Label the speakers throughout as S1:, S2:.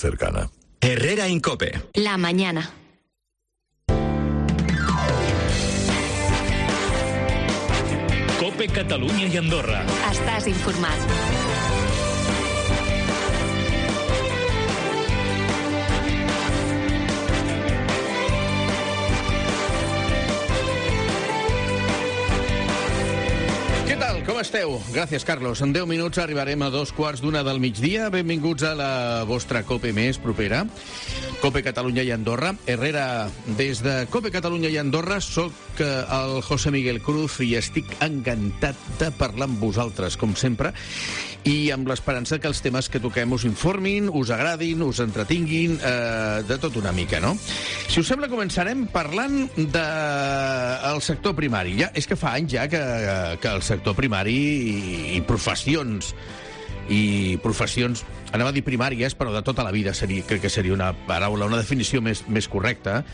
S1: cercana.
S2: Herrera Incope.
S3: La mañana.
S4: Cope Catalunya i Andorra.
S3: Estàs informat.
S5: Què tal? Com esteu? Gràcies, Carlos. En 10 minuts arribarem a 2:15 del migdia. Benvinguts a la vostra Cope més propera. Cope Catalunya i Andorra. Herrera, des de Cope Catalunya i Andorra, soc el José Miguel Cruz i estic encantat de parlar amb vosaltres, com sempre, i amb l'esperança que els temes que toquem us informin, us agradin, us entretinguin, de tot una mica, no? Si us sembla, començarem parlant del sector primari. Ja, és que fa anys ja que el sector primari i professions, anava a dir primàries, però de tota la vida crec que seria una paraula, una definició més correcta,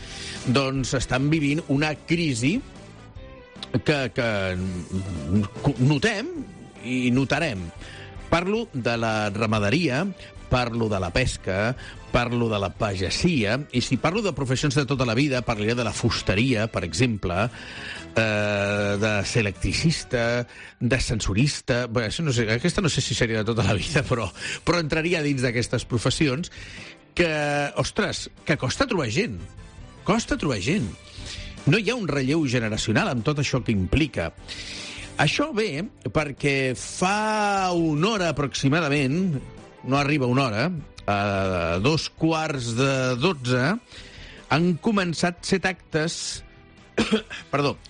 S5: doncs estan vivint una crisi que notem i notarem. Parlo de la ramaderia, parlo de la pesca, parlo de la pagesia, i si parlo de professions de tota la vida, parlaré de la fusteria, per exemple, de selectricista, d'ascensorista. Bé, això no sé, aquesta no sé si seria de tota la vida, però entraria dins d'aquestes professions que, ostres, que costa trobar gent. Costa trobar gent. No hi ha un relleu generacional amb tot això que implica. Això ve perquè fa una hora aproximadament, no arriba una hora, a 11:15, han començat 7 actes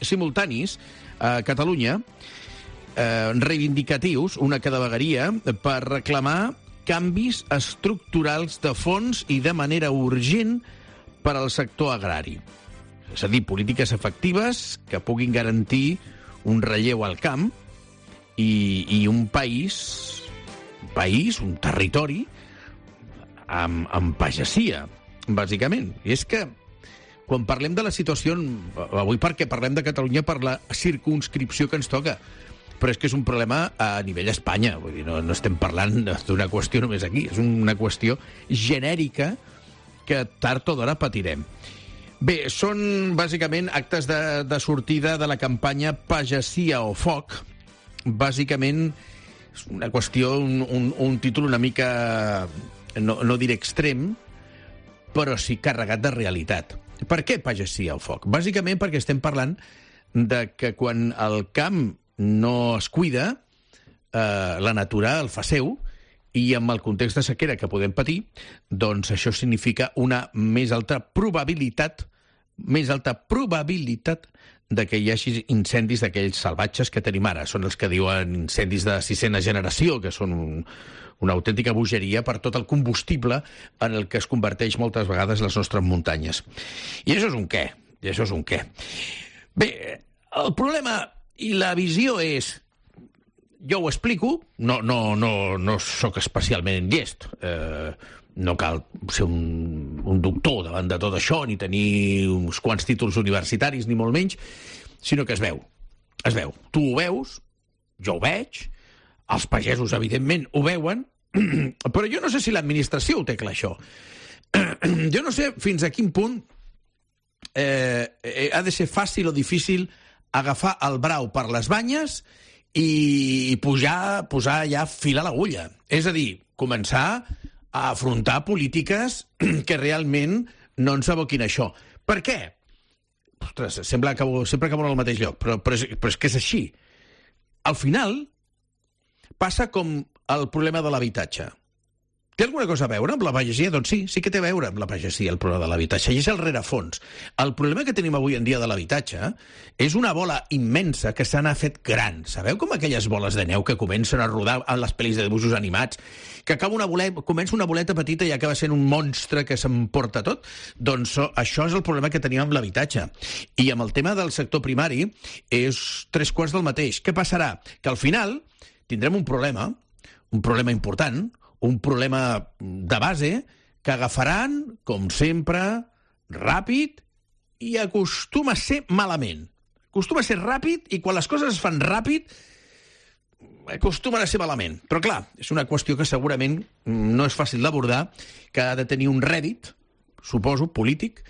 S5: simultanis a Catalunya, reivindicatius, una cada vegueria, per reclamar canvis estructurals de fons i de manera urgent per al sector agrari. És a dir, polítiques efectives que puguin garantir un relleu al camp i un país, un territori amb pagesia, bàsicament. I és que quan parlem de la situació, avui perquè parlem de Catalunya per la circumscripció que ens toca, però és que és un problema a nivell Espanya. Vull dir, no estem parlant d'una qüestió només aquí, és una qüestió genèrica que tard o d'hora patirem. Bé, són bàsicament actes de sortida de la campanya Pagesia o Foc. Bàsicament és una qüestió, un títol una mica, no diré extrem, però sí carregat de realitat. Per què pagesia o foc? Bàsicament perquè estem parlant de que quan el camp no es cuida, la natura el fa seu, i amb el context de sequera que podem patir, doncs això significa una més alta probabilitat de que hi hagi incendis d'aquells salvatges que tenim ara. Són els que diuen incendis de 6ª generació, que són una autèntica bogeria per tot el combustible en el que es converteix moltes vegades les nostres muntanyes. I això és un què. Bé, el problema i la visió és... Jo ho explico, no sóc especialment llest, no cal ser un doctor davant de tot això, ni tenir uns quants títols universitaris, ni molt menys, sinó que es veu. Tu ho veus, jo ho veig, els pagesos, evidentment, ho veuen, però jo no sé si l'administració ho té clar, això. Jo no sé fins a quin punt ha de ser fàcil o difícil agafar el brau per les banyes i posar ja fil a l'agulla. És a dir, començar a afrontar polítiques que realment no ens aboquin a això. Per què? Ostres, sempre acabo en el mateix lloc, però és que és així. Al final, passa com el problema de l'habitatge. Té alguna cosa a veure amb la pagesia? Doncs sí que té a veure amb la pagesia, el problema de l'habitatge. I és el rerefons. El problema que tenim avui en dia de l'habitatge és una bola immensa que s'ha fet gran. Sabeu com aquelles boles de neu que comencen a rodar en les pel·lis de dibuixos animats? Que comença una boleta petita i acaba sent un monstre que s'emporta tot? Doncs això és el problema que tenim amb l'habitatge. I amb el tema del sector primari és 3/4 del mateix. Què passarà? Que al final tindrem un problema important, un problema de base que agafaran, com sempre, ràpid i acostuma a ser malament. Acostuma a ser ràpid i quan les coses es fan ràpid acostumen a ser malament. Però, clar, és una qüestió que segurament no és fàcil d'abordar, que ha de tenir un rèdit, suposo, polític,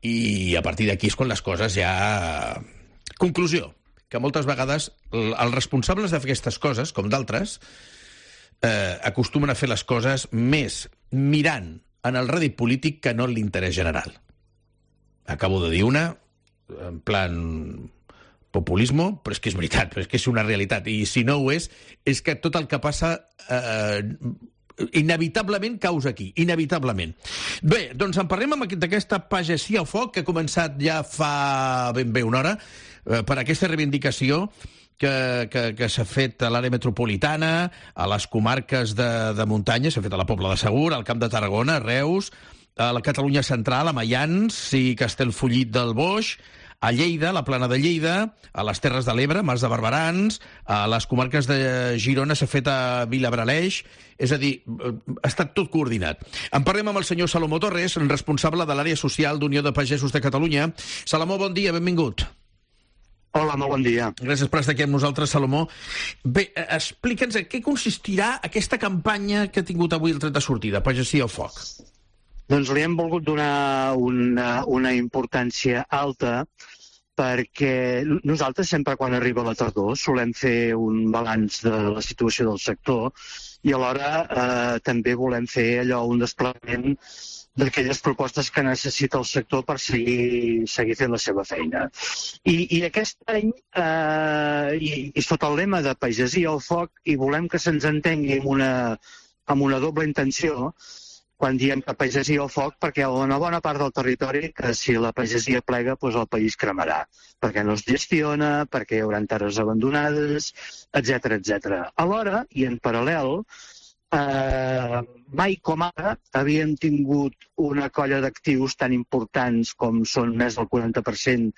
S5: i a partir d'aquí és quan les coses ja... Conclusió, que moltes vegades els responsables de fer aquestes coses, com d'altres, acostumen a fer les coses més mirant en el rèdit polític que no en l'interès general. Acabo de dir una, en plan populisme, però és que és veritat, però és que és una realitat. I si no ho és que tot el que passa inevitablement causa aquí, inevitablement. Bé, doncs en parlem d'aquesta pagesia a foc que ha començat ja fa ben bé una hora, per aquesta reivindicació que s'ha fet a l'àrea metropolitana, a les comarques de muntanya, s'ha fet a la Pobla de Segur, al Camp de Tarragona, a Reus, a la Catalunya central, a Maians i Castellfollit del Boix, a Lleida, a la Plana de Lleida, a les Terres de l'Ebre, Mas de Barberans, a les comarques de Girona s'ha fet a Vilabraleix, és a dir, ha estat tot coordinat. En parlem amb el senyor Salomó Torres, responsable de l'àrea social d'Unió de Pagesos de Catalunya. Salomó, bon dia, benvingut.
S1: Hola, molt bon dia.
S5: Gràcies per estar aquí amb nosaltres, Salomó. Bé, explica'ns en què consistirà aquesta campanya que ha tingut avui el tret de sortida, Pagesia al Foc.
S1: Doncs li hem volgut donar una importància alta perquè nosaltres sempre quan arriba la tardor solem fer un balanç de la situació del sector i alhora també volem fer un desplegament d'aquelles propostes que necessita el sector per seguir fent la seva feina. I aquest any, i sota el lema de Pagesia al Foc, i volem que se'ns entengui amb una doble intenció, quan diem que pagesia al foc, perquè hi ha una bona part del territori que si la pagesia plega, doncs el país cremarà, perquè no es gestiona, perquè hi haurà terres abandonades, etc etc. Alhora, i en paral·lel, mai com ara havíem tingut una colla d'actius tan importants com són més del 40%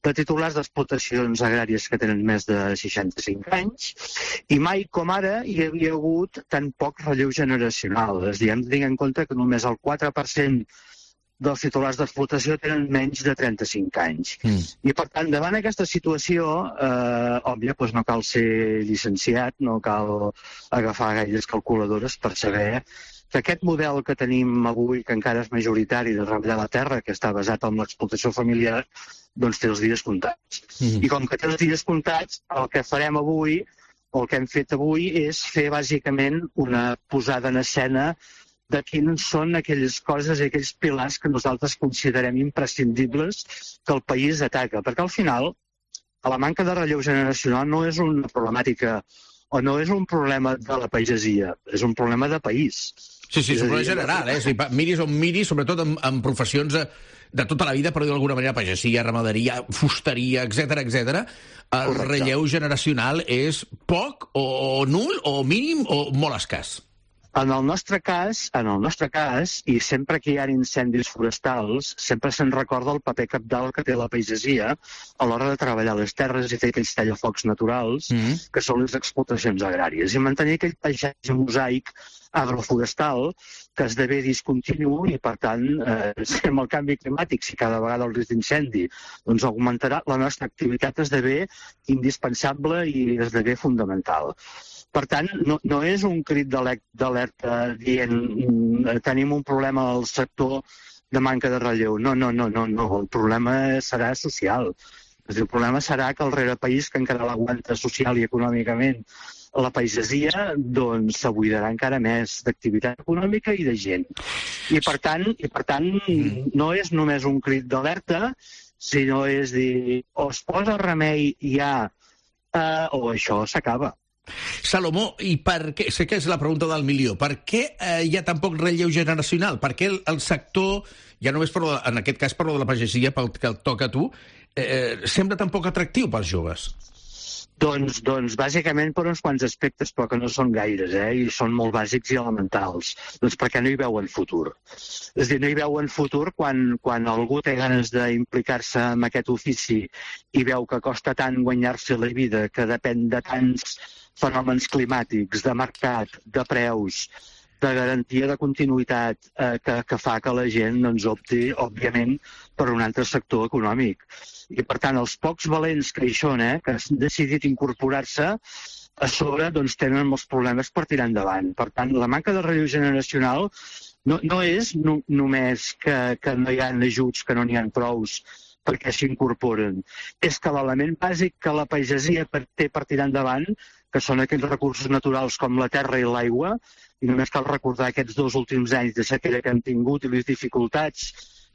S1: de titulars d'explotacions agràries que tenen més de 65 anys, i mai com ara hi havia hagut tan poc relleu generacional. És a dir, hem de tenir en compte que només el 4% dels titulars d'explotació tenen menys de 35 anys. I, per tant, davant aquesta situació, òbvia, doncs no cal ser llicenciat, no cal agafar gaires calculadores per saber que aquest model que tenim avui, que encara és majoritari de treballar la terra, que està basat en l'explotació familiar, doncs té els dies comptats. I com que té els dies comptats, el que farem avui, o el que hem fet avui, és fer bàsicament una posada en escena de quines són aquelles coses i aquells pilars que nosaltres considerem imprescindibles que el país ataca. Perquè al final, la manca de relleu generacional no és una problemàtica o no és un problema de la pagesia, és un problema de país.
S5: Sí, és un problema general, Si miris on miris, sobretot en professions de tota la vida, per dir d'alguna manera, pagesia, ramaderia, fusteria, etc. El relleu generacional és poc o nul o mínim o molt escàs.
S1: En el nostre cas, i sempre que hi ha incendis forestals, sempre se'n recorda el paper cabdal que té la pagesia a l'hora de treballar les terres i fer aquells tallafocs naturals, que són les explotacions agràries, i mantenir aquell paisatge mosaic agroforestal que esdevé discontinu i, per tant, amb el canvi climàtic, si cada vegada el risc d'incendi doncs augmentarà, la nostra activitat esdevé indispensable i esdevé fundamental. Per tant, no és un crit d'alerta dient tenim un problema al sector de manca de relleu. No. El problema serà social. El problema serà que el rerepaís, que encara l'aguanta social i econòmicament la pagesia, doncs s'abuidarà encara més d'activitat econòmica i de gent. I per tant, no és només un crit d'alerta, sinó és dir, o es posa remei ja o això s'acaba.
S5: Salomó, i per què, sé que és la pregunta del milió, per què hi ha tan poc relleu generacional? Per què el sector, ja només en aquest cas parlo de la pagesia, pel que et toca a tu, sembla tan poc atractiu pels joves?
S1: Doncs bàsicament per uns quants aspectes, però que no són gaires, i són molt bàsics i elementals. Doncs perquè no hi veuen futur. És a dir, no hi veuen futur quan algú té ganes d'implicar-se en aquest ofici i veu que costa tant guanyar-se la vida, que depèn de tants fenòmens climàtics, de mercat, de preus, de garantia de continuïtat, que fa que la gent opti, òbviament, per un altre sector econòmic. I, per tant, els pocs valents que hi són, que han decidit incorporar-se, a sobre doncs, tenen molts problemes per tirar endavant. Per tant, la manca de relleu generacional no és només que no hi ha ajuts, que no n'hi ha prous perquè s'incorporen. És que l'element bàsic que la pagesia té per tirar endavant, que són aquells recursos naturals com la terra i l'aigua, i només cal recordar aquests 2 últims anys de sequera que hem tingut i les dificultats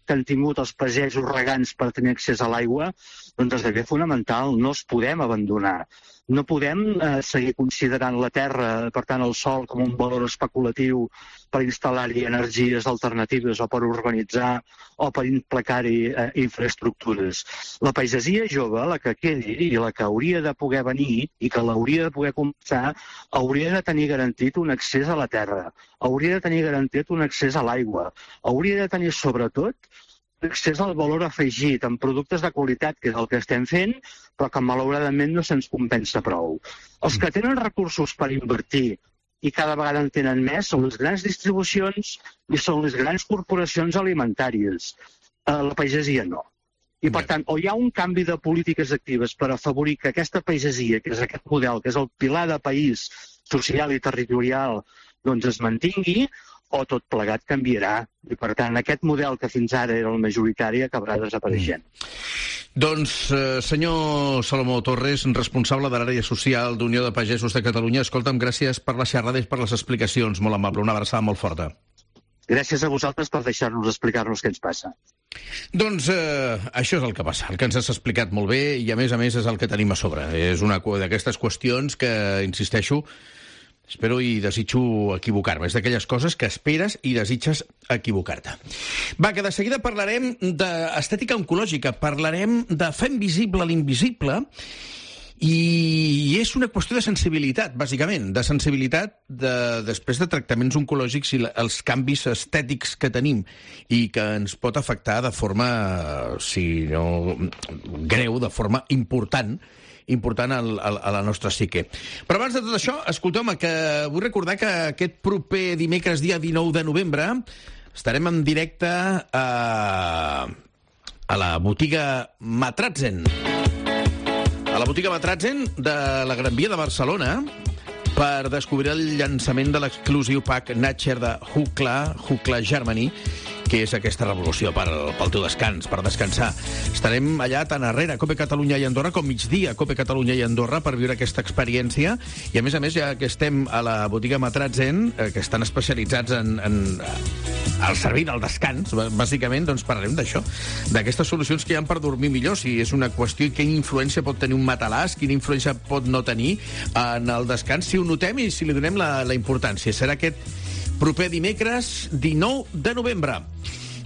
S1: que han tingut els pagesos regants per tenir accés a l'aigua, doncs esdevé fonamental, no els podem abandonar. No podem seguir considerant la terra, per tant el sol, com un valor especulatiu per instal·lar-hi energies alternatives o per urbanitzar o per implicar-hi infraestructures. La pagesia jove, la que quedi i la que hauria de poder venir i que l'hauria de poder començar, hauria de tenir garantit un accés a la terra, hauria de tenir garantit un accés a l'aigua, hauria de tenir sobretot accés al valor afegit en productes de qualitat, que és el que estem fent, però que malauradament no se'ns compensa prou. Els que tenen recursos per invertir i cada vegada en tenen més són les grans distribucions i són les grans corporacions alimentàries. La pagesia no. I, per tant, o hi ha un canvi de polítiques actives per afavorir que aquesta pagesia, que és aquest model, que és el pilar de país social i territorial, doncs es mantingui, o tot plegat canviarà. I, per tant, aquest model que fins ara era el majoritari acabarà desapareixent.
S5: Doncs, senyor Salomó Torres, responsable de l'àrea social d'Unió de Pagesos de Catalunya, escolta'm, gràcies per la xerrada i per les explicacions. Molt amable, una abraçada molt forta.
S1: Gràcies a vosaltres per deixar-nos explicar-nos què ens passa.
S5: Doncs això és el que passa, el que ens has explicat molt bé i, a més, és el que tenim a sobre. És una d'aquestes qüestions que, insisteixo, espero i desitjo equivocar-me. És d'aquelles coses que esperes i desitges equivocar-te. Va, que de seguida parlarem d'estètica oncològica, parlarem de fer invisible l'invisible, i és una qüestió de sensibilitat, bàsicament, de sensibilitat després de tractaments oncològics i els canvis estètics que tenim i que ens pot afectar de forma, si no greu, de forma important a la nostra psique. Però abans de tot això, escolteu-me, que vull recordar que aquest proper dimecres, dia 19 de novembre, estarem en directe a la botiga Matratzen. A la botiga Matratzen de la Gran Via de Barcelona per descobrir el llançament de l'exclusiu pack Nature de Hookla Germany, que és aquesta revolució pel teu descans, per descansar. Estarem allà tant arrere, a Cope Catalunya i Andorra, com migdia a Cope Catalunya i Andorra, per viure aquesta experiència. I, a més, ja que estem a la botiga Matratzen, que estan especialitzats al servir del descans, bàsicament, doncs parlarem d'això, d'aquestes solucions que hi ha per dormir millor, si és una qüestió, quina influència pot tenir un matalàs, quina influència pot no tenir en el descans, si ho notem i si li donem la importància. Serà aquest proper dimecres 19 de novembre.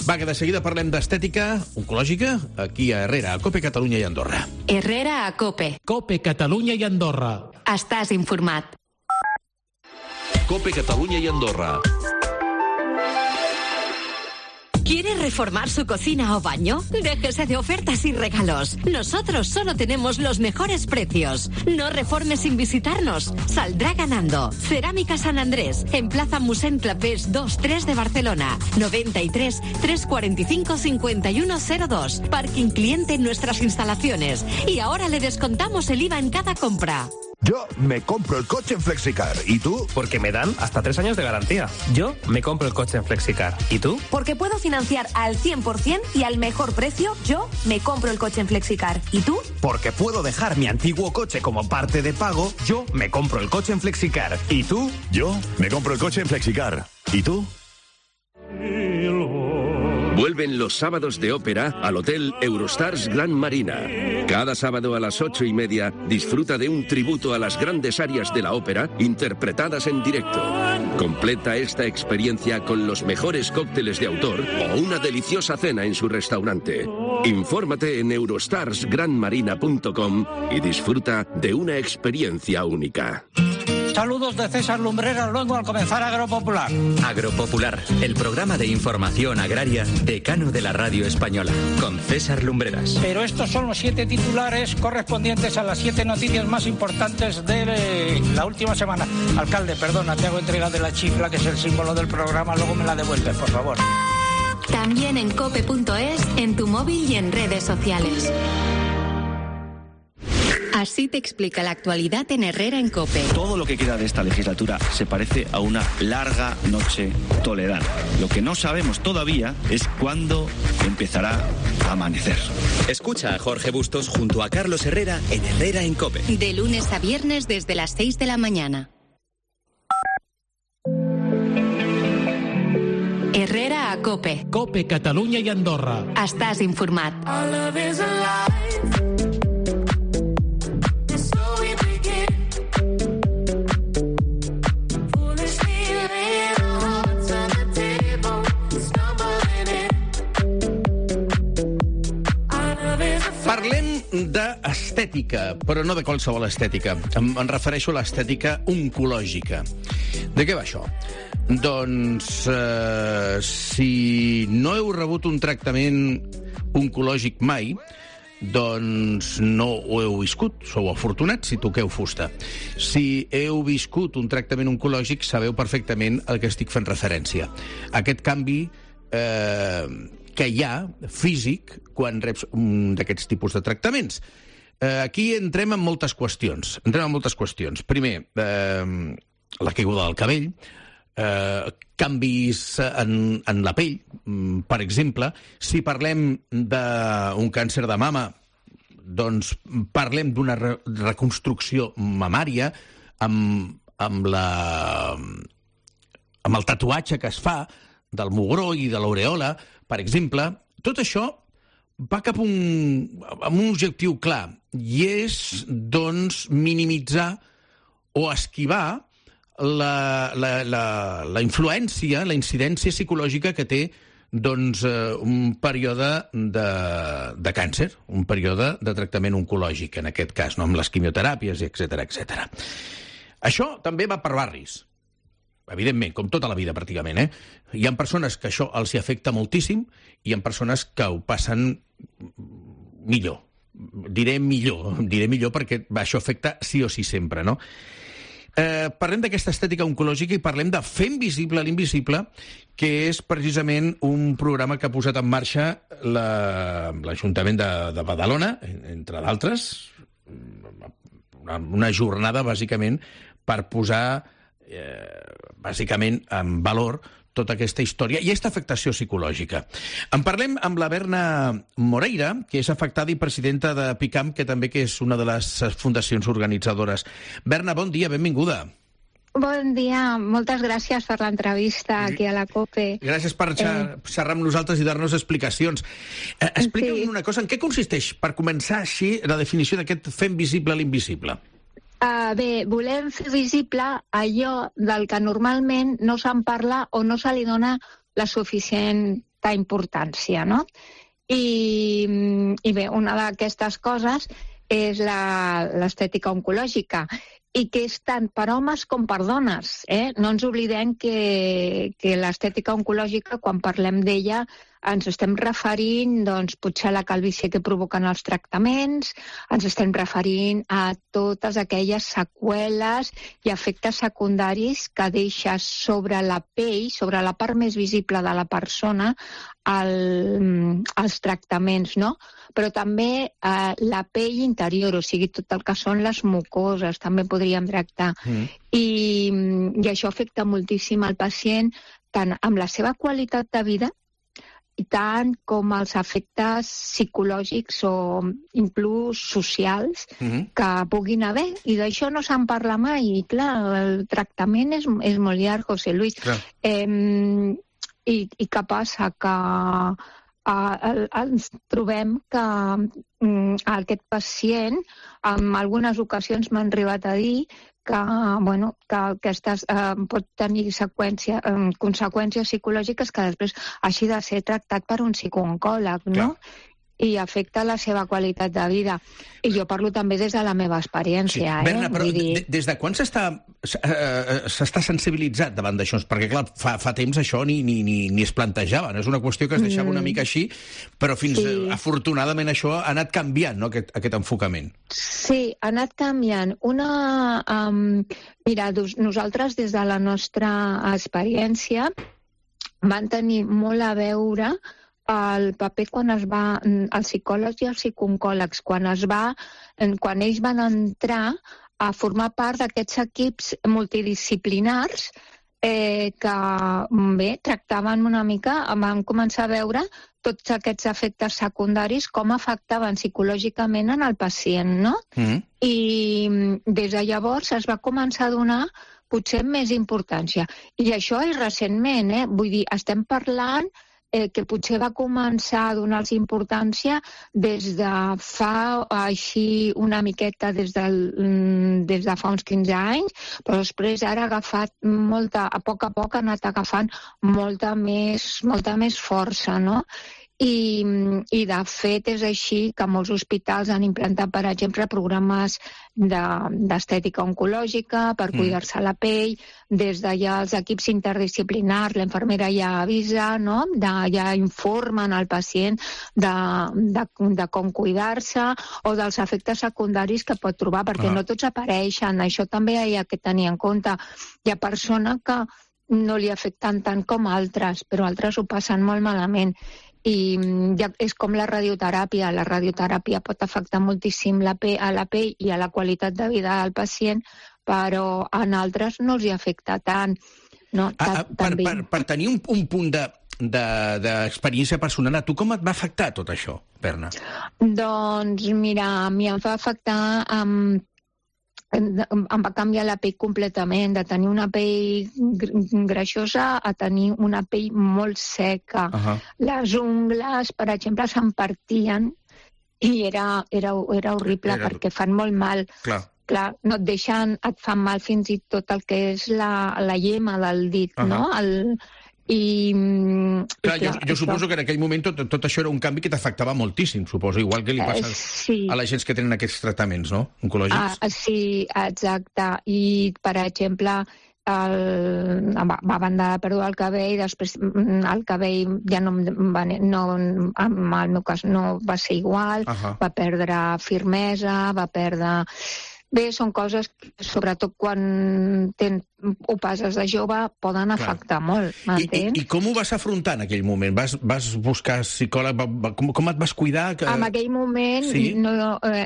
S5: Va, que de seguida parlem d'estètica oncològica aquí a Herrera, a Cope Catalunya i Andorra.
S3: Herrera a Cope.
S4: Cope Catalunya i Andorra.
S3: Estàs informat.
S2: Cope Catalunya i Andorra.
S3: ¿Quiere reformar su cocina o baño? Déjese de ofertas y regalos. Nosotros solo tenemos los mejores precios. No reforme sin visitarnos. Saldrá ganando. Cerámica San Andrés, en Plaza Musén Clapés 2-3 de Barcelona. 93 345 5102. Parking cliente en nuestras instalaciones. Y ahora le descontamos el IVA en cada compra.
S6: Yo me compro el coche en Flexicar. ¿Y tú?
S7: Porque me dan hasta 3 años de garantía. Yo me compro el coche en Flexicar. ¿Y tú?
S8: Porque puedo financiar al 100% y al mejor precio. Yo me compro el coche en Flexicar. ¿Y tú?
S7: Porque puedo dejar mi antiguo coche como parte de pago. Yo me compro el coche en Flexicar. ¿Y tú?
S6: Yo me compro el coche en Flexicar. ¿Y tú?
S2: Vuelven los sábados de ópera al Hotel Eurostars Gran Marina. Cada sábado a las 8:30 disfruta de un tributo a las grandes arias de la ópera interpretadas en directo. Completa esta experiencia con los mejores cócteles de autor o una deliciosa cena en su restaurante. Infórmate en eurostarsgranmarina.com y disfruta de una experiencia única.
S9: Saludos de César Lumbreras, luego al comenzar Agropopular.
S10: Agropopular, el programa de información agraria decano de la radio española, con César Lumbreras.
S9: Pero estos son los 7 titulares correspondientes a las 7 noticias más importantes de la última semana. Alcalde, perdona, te hago entrega de la chifla, que es el símbolo del programa, luego me la devuelves, por favor.
S3: También en cope.es, en tu móvil y en redes sociales.
S11: Así te explica la actualidad en Herrera en COPE.
S12: Todo lo que queda de esta legislatura se parece a una larga noche toledana. Lo que no sabemos todavía es cuándo empezará a amanecer.
S10: Escucha a Jorge Bustos junto a Carlos Herrera en Herrera en COPE.
S11: De lunes a viernes desde las 6 de la mañana. Herrera a COPE.
S4: COPE, Catalunya i Andorra.
S11: Estàs informat.
S5: Parlem d'estètica, però no de qualsevol estètica. Em refereixo a l'estètica oncològica. De què va això? Doncs, si no heu rebut un tractament oncològic mai, doncs no ho heu viscut. Sou afortunats si toqueu fusta. Si heu viscut un tractament oncològic, sabeu perfectament al que estic fent referència. Aquest canvi que hi ha, físic, quan reps un d'aquests tipus de tractaments. Aquí entrem en moltes qüestions. Primer, la caiguda del cabell, canvis en la pell, per exemple. Si parlem d'un càncer de mama, doncs parlem d'una reconstrucció mamària amb el tatuatge que es fa del mugró i de l'aureola, per exemple. Tot això va cap amb un objectiu clar, i és, doncs, minimitzar o esquivar la influència, la incidència psicològica que té, doncs, un període de càncer, un període de tractament oncològic, en aquest cas, no? Amb les quimioteràpies, etc. Això també va per barris. Evidentment, com tota la vida, pràcticament, Hi ha persones que això els hi afecta moltíssim i hi ha persones que ho passen millor. Diré millor perquè això afecta sí o sí sempre, no? Parlem d'aquesta estètica oncològica i parlem de Fem visible l'invisible, que és precisament un programa que ha posat en marxa l'Ajuntament de Badalona, entre d'altres, una jornada, bàsicament, per posar bàsicament en valor tota aquesta història i aquesta afectació psicològica. En parlem amb la Berna Moreira, que és afectada i presidenta de PICAM, que també que és una de les fundacions organitzadores. Berna, bon dia, benvinguda.
S13: Bon dia, moltes gràcies per l'entrevista aquí a la COPE.
S5: Gràcies per xerrar amb nosaltres i dar-nos explicacions. Explica'm una cosa, en què consisteix, per començar així, la definició d'aquest Fem visible l'invisible?
S13: Bé, volem fer visible allò del que normalment no se'n parla o no se li dona la suficient importància, no? I bé, una d'aquestes coses és l'estètica oncològica, i que és tant per homes com per dones. No ens oblidem que l'estètica oncològica, quan parlem d'ella, ens estem referint, doncs, potser a la calvície que provoquen els tractaments, ens estem referint a totes aquelles seqüeles i efectes secundaris que deixa sobre la pell, sobre la part més visible de la persona, els tractaments, no? Però també la pell interior, o sigui, tot el que són les mucoses, també podríem tractar. I això afecta moltíssim al pacient, tant amb la seva qualitat de vida, i tant com els efectes psicològics o inclús socials que puguin haver. I d'això no se'n parla mai. I clar, el tractament és molt llarg, José Luis. I què passa? Que ens trobem que aquest pacient, en algunes ocasions m'han arribat a dir que aquestes pot tenir conseqüències psicològiques que després hagi de ser tractat per un psicooncòleg, no? I afecta la seva qualitat de vida. I jo parlo també des de la meva experiència.
S5: Berna, però des de quan s'està sensibilitzat davant d'això? Perquè, clar, fa temps això ni es plantejava. És una qüestió que es deixava una mica així, però afortunadament això ha anat canviant, no?, aquest enfocament.
S13: Sí, ha anat canviant. Mira, nosaltres des de la nostra experiència van tenir molt a veure el paper quan els psicòlegs i els psicooncòlegs, quan ells van entrar a formar part d'aquests equips multidisciplinars que tractaven una mica, vam començar a veure tots aquests efectes secundaris, com afectaven psicològicament en el pacient, no? I des de llavors es va començar a donar potser més importància. I això és recentment, vull dir, estem parlant que potser va començar a donar-los importància des de fa així una miqueta des de fa uns 15 anys, però després ara ha agafat a poc ha anat agafant molta més força, no? I de fet és així que molts hospitals han implantat, per exemple, programes d'estètica oncològica per cuidar-se la pell, des d'allà els equips interdisciplinars, l'infermera ja avisa, no? Ja informen al pacient de com cuidar-se o dels efectes secundaris que pot trobar, perquè no tots apareixen. Això també hi ha que tenir en compte. Hi ha persones que no li afecten tant com altres, però altres ho passen molt malament. I és com la radioteràpia. La radioteràpia pot afectar moltíssim a la pell i a la qualitat de vida del pacient, però en altres no els hi afecta tant. No?
S5: Per tenir un punt d'experiència personal, a tu com et va afectar tot això, Berna?
S13: Doncs mira, a mi em va afectar... Em va canviar la pell completament, de tenir una pell greixosa a tenir una pell molt seca. Les ungles, per exemple, se'm partien i era horrible perquè fan molt mal. Clar, no et deixen, et fan mal fins i tot el que és la llema del dit, no?
S5: Jo suposo que en aquell moment tot això era un canvi que t'afectava moltíssim, suposo, igual que li passa a la gent que tenen aquests tractaments, no?, oncològics.
S13: Sí, exacte. I, per exemple, a banda de perdre el cabell, després el cabell ja no, en el meu cas no va ser igual, va perdre firmesa, va perdre... Bé, són coses que, sobretot quan ho passes de jove, poden afectar molt, m'entens?
S5: I com ho vas afrontar en aquell moment? Vas buscar psicòleg? Com et vas cuidar?
S13: En aquell moment,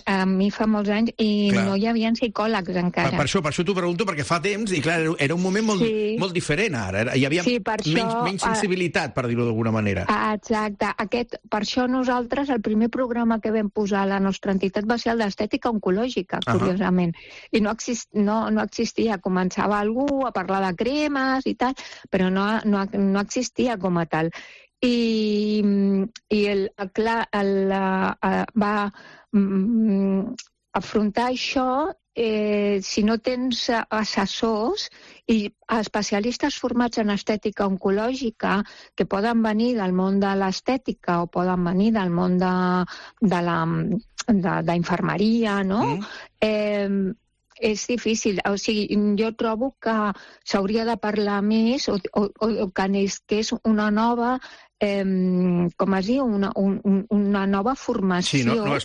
S13: a mi fa molts anys, i no hi havia psicòlegs encara.
S5: Per això t'ho pregunto, perquè fa temps, i clar, era un moment molt diferent ara. Hi havia menys sensibilitat, per dir-ho d'alguna manera.
S13: Exacte. Per això nosaltres, el primer programa que vam posar a la nostra entitat va ser el d'estètica oncològica, curiosament. I no existia. Començava algú a parlar de cremes i tal, però no existia com a tal. I va afrontar això si no tens assessors i especialistes formats en estètica oncològica que poden venir del món de l'estètica o poden venir del món d'infermeria, no? És difícil. O sigui, jo trobo que s'hauria de parlar més o que és una nova, com es diu, una nova formació.
S5: Nova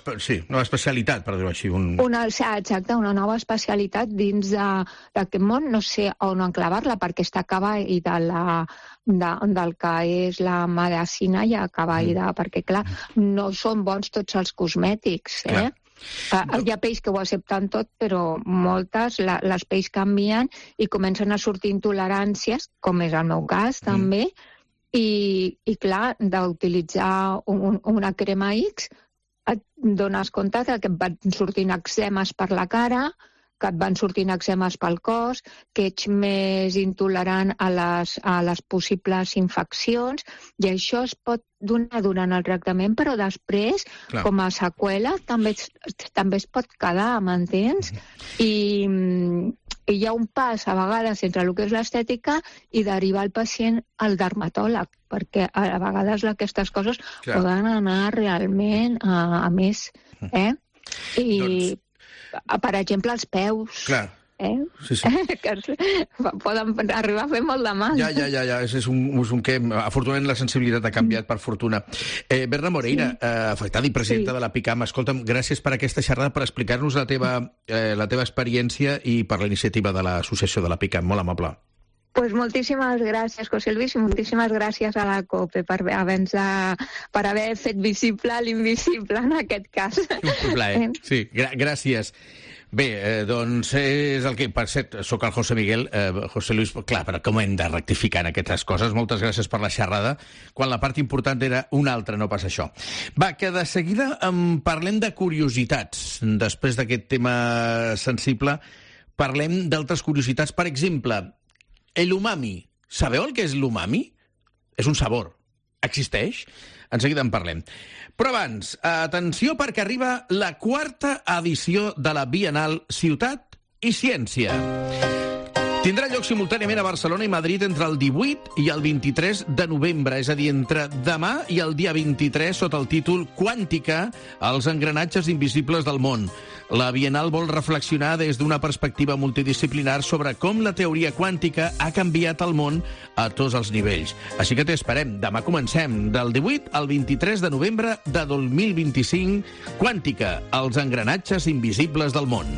S5: especialitat, per dir-ho així.
S13: Exacte, una nova especialitat dins d'aquest món, no sé on enclavar-la, perquè està acabada del que és la medicina i acabada, perquè, clar, no són bons tots els cosmètics, hi ha pells que ho accepten tot, però moltes, les pells canvien i comencen a sortir intoleràncies, com és el meu cas, també, i clar, d'utilitzar una crema X, et dones compte que et van sortint eczemes per la cara, que et van sortint eczemes pel cos, que ets més intolerant a les possibles infeccions, i això es pot donar durant el tractament, però després, com a seqüela, també es pot quedar, m'entens? I hi ha un pas, a vegades, entre el que és l'estètica i derivar el pacient al dermatòleg, perquè a vegades aquestes coses poden anar realment a més. I, per exemple, els peus.
S5: Clar.
S13: Que poden arribar a fer molt de mal.
S5: És un que, afortunadament, la sensibilitat ha canviat, per fortuna. Berna Moreira, afectada i presidenta de la PICAM, escolta'm, gràcies per aquesta xerrada, per explicar-nos la teva experiència i per la iniciativa de l'associació de la PICAM. Molt amable.
S13: Pues moltíssimes gràcies, José Luis, i moltíssimes gràcies a la COPE per haver fet visible l'invisible, en aquest cas.
S5: Un plaer, sí, gràcies. Bé, doncs és el que... Per cert, sóc el José Miguel. José Luis, clar, però com hem de rectificar en aquestes coses? Moltes gràcies per la xerrada, quan la part important era una altra, no pas això. Va, que de seguida parlem de curiositats. Després d'aquest tema sensible, parlem d'altres curiositats. Per exemple, l'umami. Sabeu el que és l'umami? És un sabor. Existeix? En seguida en parlem. Però abans, atenció perquè arriba la 4ª edició de la Bienal Ciutat i Ciència. Tindrà lloc simultàniament a Barcelona i Madrid entre el 18 i el 23 de novembre, és a dir, entre demà i el dia 23, sota el títol Quàntica, els engranatges invisibles del món. La Bienal vol reflexionar des d'una perspectiva multidisciplinar sobre com la teoria quàntica ha canviat el món a tots els nivells. Així que t'esperem. Demà comencem, del 18 al 23 de novembre de 2025, Quàntica, els engranatges invisibles del món.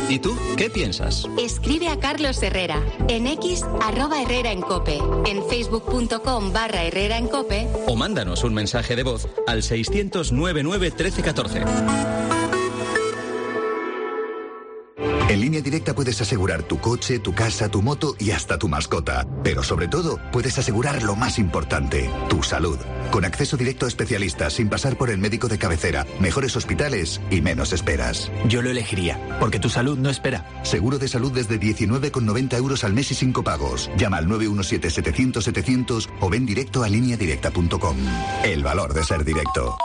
S10: ¿Y tú qué piensas?
S11: Escribe a Carlos Herrera en X @Herrera en Cope, en facebook.com/Herrera en Cope
S10: o mándanos un mensaje de voz al 600 99 13 14.
S14: En Línea Directa puedes asegurar tu coche, tu casa, tu moto y hasta tu mascota. Pero sobre todo, puedes asegurar lo más importante, tu salud. Con acceso directo a especialistas, sin pasar por el médico de cabecera, mejores hospitales y menos esperas.
S7: Yo lo elegiría, porque tu salud no espera.
S14: Seguro de salud desde 19,90 € al mes y sin copagos. Llama al 917-700-700 o ven directo a lineadirecta.com. El valor de ser directo.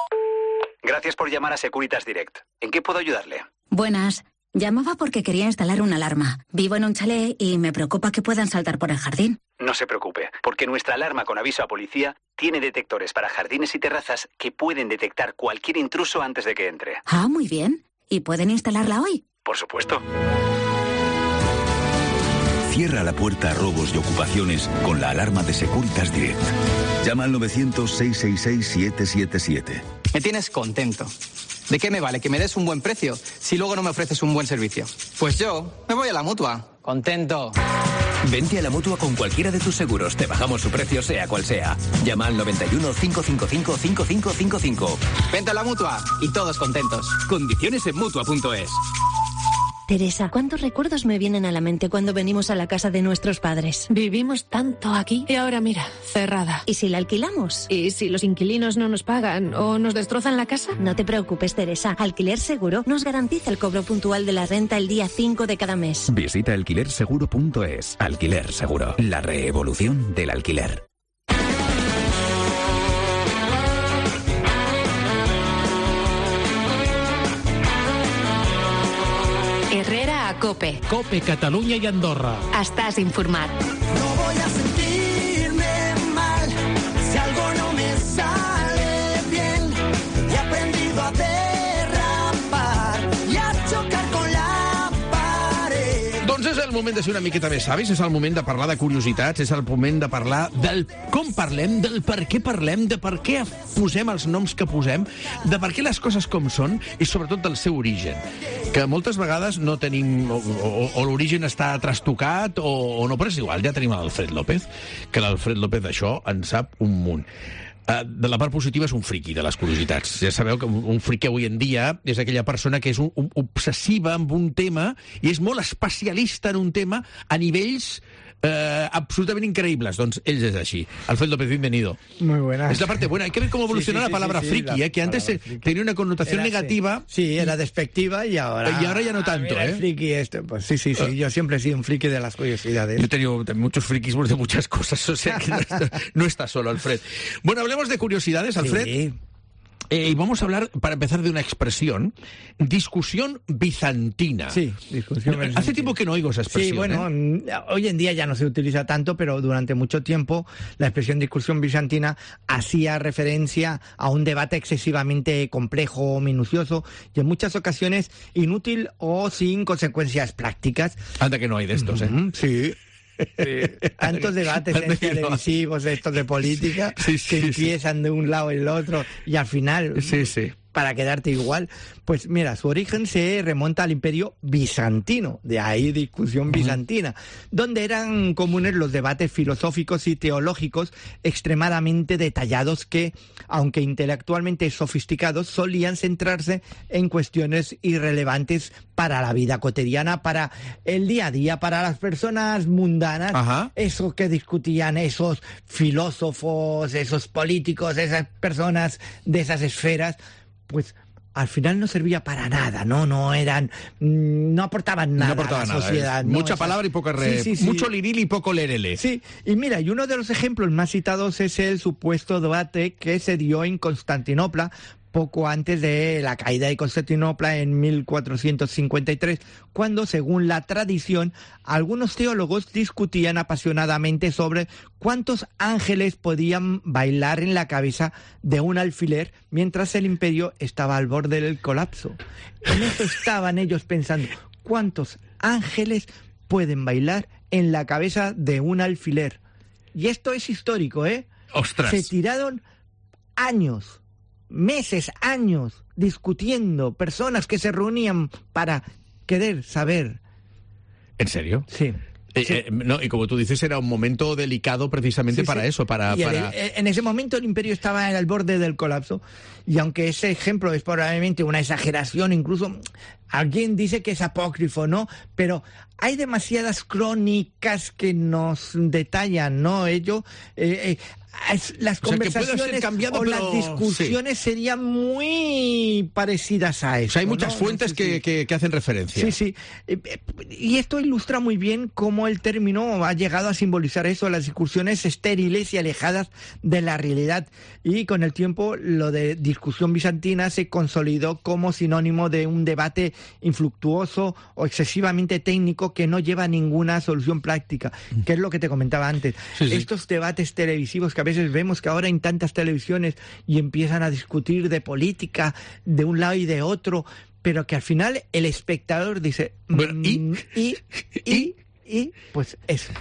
S15: Gracias por llamar a Securitas Direct. ¿En qué puedo ayudarle?
S16: Buenas. Llamaba porque quería instalar una alarma. Vivo en un chalet y me preocupa que puedan saltar por el jardín.
S15: No se preocupe, porque nuestra alarma con aviso a policía tiene detectores para jardines y terrazas que pueden detectar cualquier intruso antes de que entre.
S16: Ah, muy bien. ¿Y pueden instalarla hoy?
S15: Por supuesto.
S17: Cierra la puerta a robos y ocupaciones con la alarma de Securitas Direct. Llama al 900-666-777.
S18: Me tienes contento. ¿De qué me vale que me des un buen precio si luego no me ofreces un buen servicio? Pues yo me voy a la Mutua. Contento.
S10: Vente a la Mutua con cualquiera de tus seguros. Te bajamos su precio, sea cual sea. Llama al 91 555 5555.
S18: Vente a la Mutua y todos contentos.
S10: Condiciones en Mutua.es.
S19: Teresa, ¿cuántos recuerdos me vienen a la mente cuando venimos a la casa de nuestros padres?
S20: Vivimos tanto aquí y ahora mira, cerrada.
S19: ¿Y si la alquilamos?
S20: ¿Y si los inquilinos no nos pagan o nos destrozan la casa?
S19: No te preocupes, Teresa. Alquiler Seguro nos garantiza el cobro puntual de la renta el día 5 de cada mes.
S21: Visita alquilerseguro.es. Alquiler Seguro. La reevolución del alquiler.
S11: Herrera a Cope.
S4: Cope, Catalunya i Andorra.
S11: Estàs informat.
S22: No voy a sentirme mal si algo no me sale bien. He aprendido a derrapar y a chocar con la pared.
S5: Doncs és el moment de ser una miqueta més savis, és el moment de parlar de curiositats, és el moment de parlar del com parlem, del per què parlem, de per què posem els noms que posem, de per què les coses com són i sobretot del seu origen. Que moltes vegades no tenim, o l'origen està trastocat o no, però és igual, ja tenim l'Alfred López, que l'Alfred López d'això en sap un munt. De la part positiva és un friqui de les curiositats. Ja sabeu que un friqui avui en dia és aquella persona que és obsessiva amb un tema i és molt especialista en un tema a nivells absolutamente increíbles. Doncs él es así. Alfred López, bienvenido.
S23: Muy buenas.
S5: Es la parte buena. Hay que ver cómo evoluciona la palabra friki, que antes tenía una connotación negativa.
S23: Sí, era despectiva y ahora
S5: ya no tanto,
S23: friki esto. Pues sí. Yo siempre he sido un friki de las curiosidades.
S5: Yo he tenido muchos frikis de muchas cosas, o sea que no está solo, Alfred. Bueno, hablemos de curiosidades, Alfred. Sí. Y vamos a hablar, para empezar, de una expresión, discusión bizantina.
S23: Sí, discusión bizantina.
S5: Hace tiempo que no oigo esa expresión.
S23: Sí, bueno, hoy en día ya no se utiliza tanto, pero durante mucho tiempo la expresión discusión bizantina hacía referencia a un debate excesivamente complejo, minucioso y en muchas ocasiones inútil o sin consecuencias prácticas.
S5: Anda que no hay de estos,
S23: Sí. Tantos debates televisivos, estos de política, que empiezan de un lado y el otro y al final para quedarte igual. Pues mira, su origen se remonta al Imperio Bizantino, de ahí discusión bizantina, donde eran comunes los debates filosóficos y teológicos extremadamente detallados que, aunque intelectualmente sofisticados, solían centrarse en cuestiones irrelevantes para la vida cotidiana, para el día a día, para las personas mundanas.
S5: Ajá.
S23: Eso que discutían esos filósofos, esos políticos, esas personas de esas esferas, pues al final no servía para nada, no aportaban nada a la sociedad.
S5: Mucha palabra y poca mucho liril y poco lerele.
S23: Sí, y mira, y uno de los ejemplos más citados es el supuesto debate que se dio en Constantinopla poco antes de la caída de Constantinopla en 1453, cuando, según la tradición, algunos teólogos discutían apasionadamente sobre cuántos ángeles podían bailar en la cabeza de un alfiler mientras el imperio estaba al borde del colapso. En eso estaban ellos pensando, ¿cuántos ángeles pueden bailar en la cabeza de un alfiler? Y esto es histórico, ¿eh?
S5: ¡Ostras!
S23: Se tiraron años, meses, años, discutiendo, personas que se reunían para querer saber.
S5: ¿En serio?
S23: Sí.
S5: No, y como tú dices, era un momento delicado precisamente para eso,
S23: En ese momento el imperio estaba al borde del colapso, y aunque ese ejemplo es probablemente una exageración, incluso alguien dice que es apócrifo, ¿no? Pero hay demasiadas crónicas que nos detallan, ¿no? Las conversaciones
S5: cambiado,
S23: o las discusiones serían muy parecidas a eso.
S5: O sea, hay muchas fuentes que hacen referencia.
S23: Sí. Y esto ilustra muy bien cómo el término ha llegado a simbolizar eso, las discusiones estériles y alejadas de la realidad. Y con el tiempo, lo de discusión bizantina se consolidó como sinónimo de un debate infructuoso o excesivamente técnico que no lleva a ninguna solución práctica, que es lo que te comentaba antes. Estos debates televisivos que a veces vemos que ahora en tantas televisiones y empiezan a discutir de política de un lado y de otro, pero que al final el espectador dice
S5: bueno,
S23: y pues eso.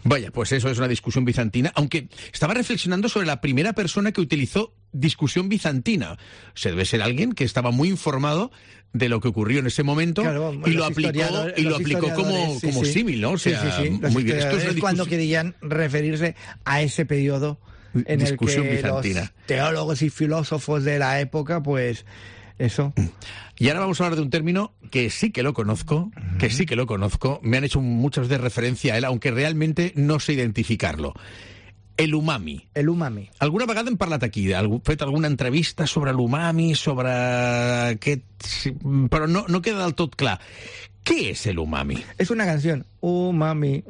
S5: Vaya, pues eso es una discusión bizantina, aunque estaba reflexionando sobre la primera persona que utilizó discusión bizantina. O sea, debe ser alguien que estaba muy informado de lo que ocurrió en ese momento, claro, y lo aplicó como símil, ¿no? O sea, muy bien. Esto es
S23: cuando querían referirse a ese periodo en el que
S5: bizantina.
S23: Los teólogos y filósofos de la época, pues eso.
S5: Y ahora vamos a hablar de un término que sí que lo conozco, me han hecho muchas veces referencia a él, aunque realmente no sé identificarlo. El umami.
S23: El umami.
S5: Alguna vegada hem parlat aquí, fet alguna entrevista sobre l'umami, sobre aquest... Però no queda del tot clar. ¿Qué es el umami?
S23: Es una canción. Umami.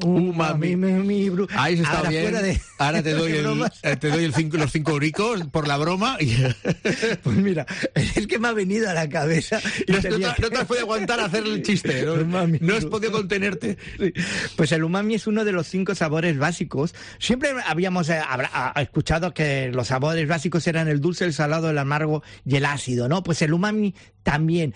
S5: Ahí se está bien. Ahora te doy los 5 euricos por la broma.
S23: Pues mira, es que me ha venido a la cabeza.
S5: No te has podido aguantar a hacer el chiste. No has podido contenerte.
S23: Sí. Pues el umami es uno de los 5 sabores básicos. Siempre habíamos escuchado que los sabores básicos eran el dulce, el salado, el amargo y el ácido, ¿no? Pues el umami también.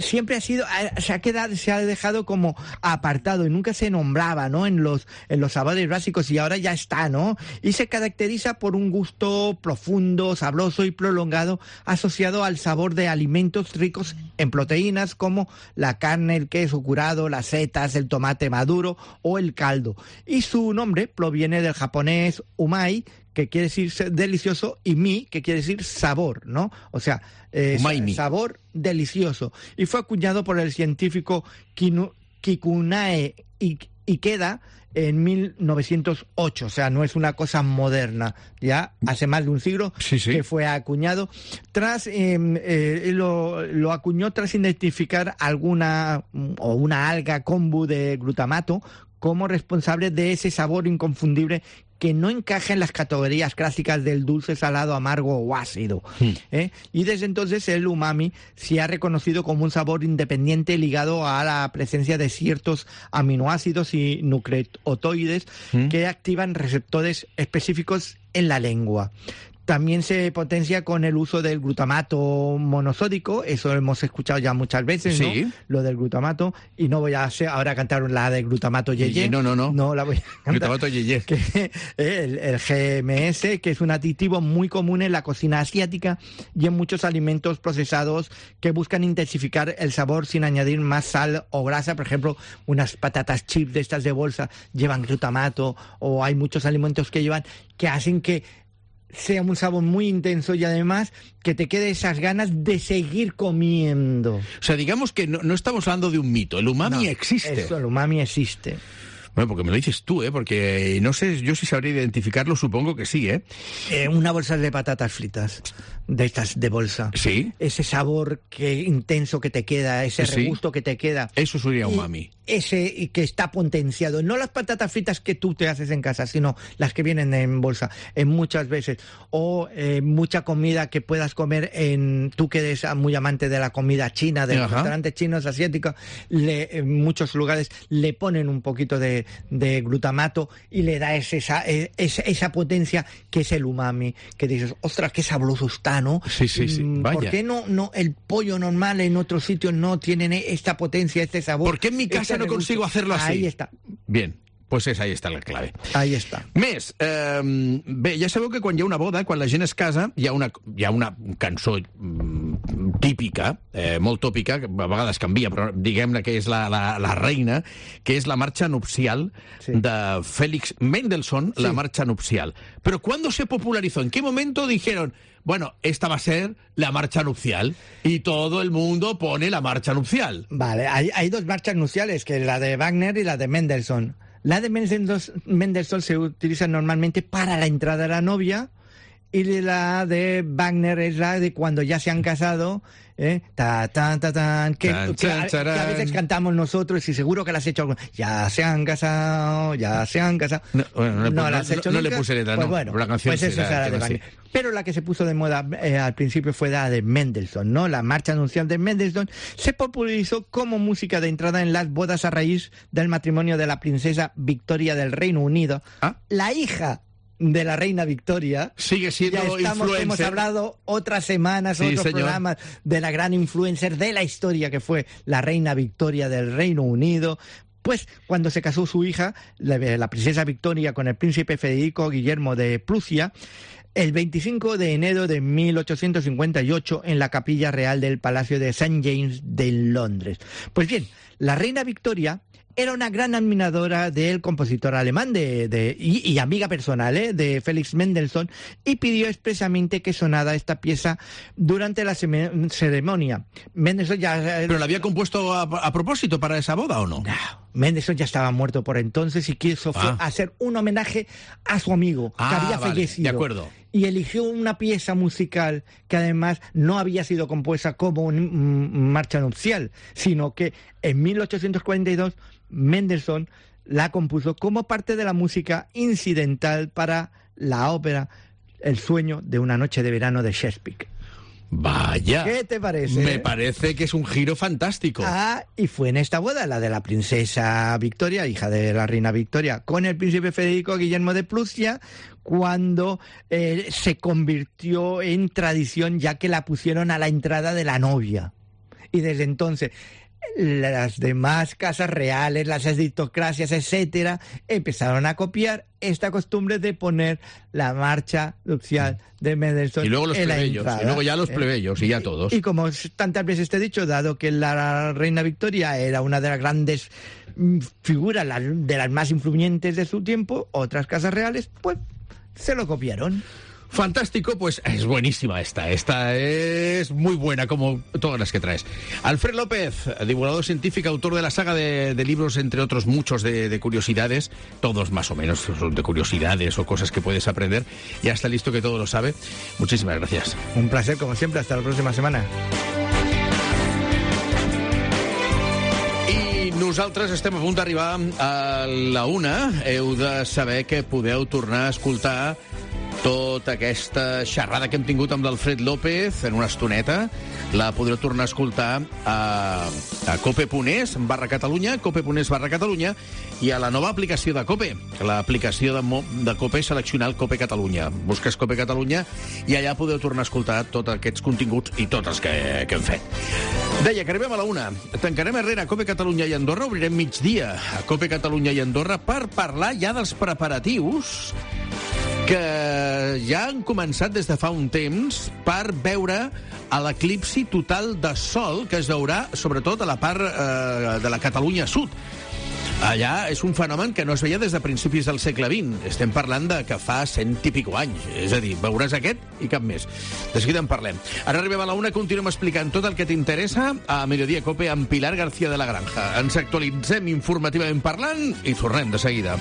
S23: Siempre se ha dejado como apartado y nunca se nombraba, ¿no? En los sabores básicos, y ahora ya está, ¿no? Y se caracteriza por un gusto profundo, sabroso y prolongado asociado al sabor de alimentos ricos en proteínas como la carne, el queso curado, las setas, el tomate maduro o el caldo. Y su nombre proviene del japonés umai, que quiere decir delicioso, y mi, que quiere decir sabor, ¿no? O sea, sabor delicioso. Y fue acuñado por el científico Kikunae Ikeda en 1908, o sea, no es una cosa moderna, ya hace más de un siglo que fue acuñado. Lo acuñó tras identificar una alga kombu de glutamato como responsable de ese sabor inconfundible que no encaja en las categorías clásicas del dulce, salado, amargo o ácido. Y desde entonces el umami se ha reconocido como un sabor independiente ligado a la presencia de ciertos aminoácidos y nucleotidos que activan receptores específicos en la lengua. También se potencia con el uso del glutamato monosódico, eso hemos escuchado ya muchas veces,
S5: Sí.
S23: ¿no? Lo del glutamato, y no voy a ahora cantar la de glutamato yeye.
S5: No.
S23: No la voy a cantar.
S5: Glutamato yeye.
S23: El GMS, que es un aditivo muy común en la cocina asiática y en muchos alimentos procesados que buscan intensificar el sabor sin añadir más sal o grasa. Por ejemplo, unas patatas chips de estas de bolsa llevan glutamato, o hay muchos alimentos que hacen que sea un sabor muy intenso y además que te quede esas ganas de seguir comiendo.
S5: O sea, digamos que no estamos hablando de un mito. El umami existe.
S23: Eso, el umami existe.
S5: Bueno, porque me lo dices tú, porque no sé yo si sabría identificarlo, supongo que sí,
S23: Una bolsa de patatas fritas, de estas de bolsa.
S5: Sí.
S23: Ese sabor intenso que te queda, ese regusto que te queda.
S5: Eso sería umami.
S23: Ese que está potenciado. No las patatas fritas que tú te haces en casa, sino las que vienen en bolsa, muchas veces. O mucha comida que puedas comer tú que eres muy amante de la comida china, de los restaurantes chinos, asiáticos, en muchos lugares le ponen un poquito de glutamato y le da esa potencia que es el umami, que dices, ostras, qué sabroso está, ¿no?
S5: Sí. Vaya.
S23: ¿Por qué no el pollo normal en otros sitios no tienen esta potencia, este sabor?
S5: ¿Por qué en mi casa no consigo hacerlo así?
S23: Ahí está.
S5: Bien. Pues ahí està la clave.
S23: Ahí està.
S5: Més, bé, ja sabeu que quan hi ha una boda, quan la gent es casa, hi ha una cançó típica, molt tòpica, que a vegades canvia, però diguem-ne que és la reina, que és la marxa nupcial de Félix Mendelssohn, la marcha nupcial. Pero ¿cuándo se popularizó? ¿En qué momento dijeron, bueno, esta va a ser la marcha nupcial y todo el mundo pone la marcha nupcial?
S23: Vale, hay dos marchas nupciales, que es la de Wagner y la de Mendelssohn. La de Mendelssohn se utiliza normalmente para la entrada de la novia, y la de Wagner es la de cuando ya se han casado, que a veces cantamos nosotros, y seguro que la has hecho alguna. Ya se han casado. No la has hecho nunca.
S5: No le puse letra,
S23: pues
S5: no.
S23: Bueno,
S5: la canción
S23: pues esa era la de Wagner. Pero la que se puso de moda al principio fue la de Mendelssohn, ¿no? La marcha nupcial de Mendelssohn se popularizó como música de entrada en las bodas a raíz del matrimonio de la princesa Victoria del Reino Unido, la hija de la reina Victoria.
S5: Sigue siendo influencer.
S23: Hemos hablado otras semanas, otros programas de la gran influencer de la historia que fue la reina Victoria del Reino Unido. Pues cuando se casó su hija, la princesa Victoria, con el príncipe Federico Guillermo de Prusia, el 25 de enero de 1858 en la capilla real del Palacio de St. James de Londres. Pues bien, la reina Victoria era una gran admiradora del compositor alemán y amiga personal de Félix Mendelssohn, y pidió expresamente que sonara esta pieza durante la ceremonia. Mendelssohn
S5: ¿Pero la había compuesto a propósito para esa boda o no?
S23: No, Mendelssohn ya estaba muerto por entonces y quiso hacer un homenaje a su amigo, que había fallecido.
S5: De acuerdo.
S23: Y eligió una pieza musical que además no había sido compuesta como marcha nupcial, sino que en 1842 Mendelssohn la compuso como parte de la música incidental para la ópera El sueño de una noche de verano de Shakespeare.
S5: Vaya.
S23: ¿Qué te parece?
S5: Me parece que es un giro fantástico.
S23: Y fue en esta boda, la de la princesa Victoria, hija de la reina Victoria, con el príncipe Federico Guillermo de Prusia, cuando se convirtió en tradición, ya que la pusieron a la entrada de la novia. Y desde entonces las demás casas reales, las aristocracias, etcétera, empezaron a copiar esta costumbre de poner la marcha nupcial de Mendelssohn.
S5: Y luego los plebeyos, y luego ya los plebeyos, y ya todos.
S23: Y como tantas veces te he dicho, dado que la reina Victoria era una de las grandes figuras, de las más influyentes de su tiempo, otras casas reales, pues se lo copiaron.
S5: Fantástico, pues es buenísima esta es muy buena, como todas las que traes. Alfred López, divulgador científico, autor de la saga de libros, entre otros muchos de curiosidades, todos más o menos son de curiosidades o cosas que puedes aprender. Ya está listo, que todo lo sabe. Muchísimas gracias.
S23: Un placer, como siempre, hasta la próxima semana.
S5: Nosaltres estem a punt d'arribar a la 1. Heu de saber que podeu tornar a escoltar Tota aquesta xerrada que hem tingut amb l'Alfred López en una estoneta la podreu tornar a escoltar a cope.es/Catalunya, cope.es/Catalunya, i a la nova aplicació de Cope, l'aplicació de Cope seleccional Cope Catalunya. Busques Cope Catalunya i allà podeu tornar a escoltar tots aquests continguts i tots els que hem fet. Deia que arribem a la 1. Tancarem Herrera, Cope Catalunya i Andorra, obrirem migdia a Cope Catalunya i Andorra per parlar ja dels preparatius que ja han començat des de fa un temps per veure l'eclipsi total de sol que es veurà sobretot a la part de la Catalunya Sud. Allà és un fenomen que no es veia des de principis del segle XX. Estem parlant de que fa 100 i pico anys. És a dir, veuràs aquest i cap més. De seguida en parlem. Ara arribem a la 1, continuem explicant tot el que t'interessa a Mediodía Cope amb Pilar García de la Granja. Ens actualitzem informativament parlant i tornem de seguida.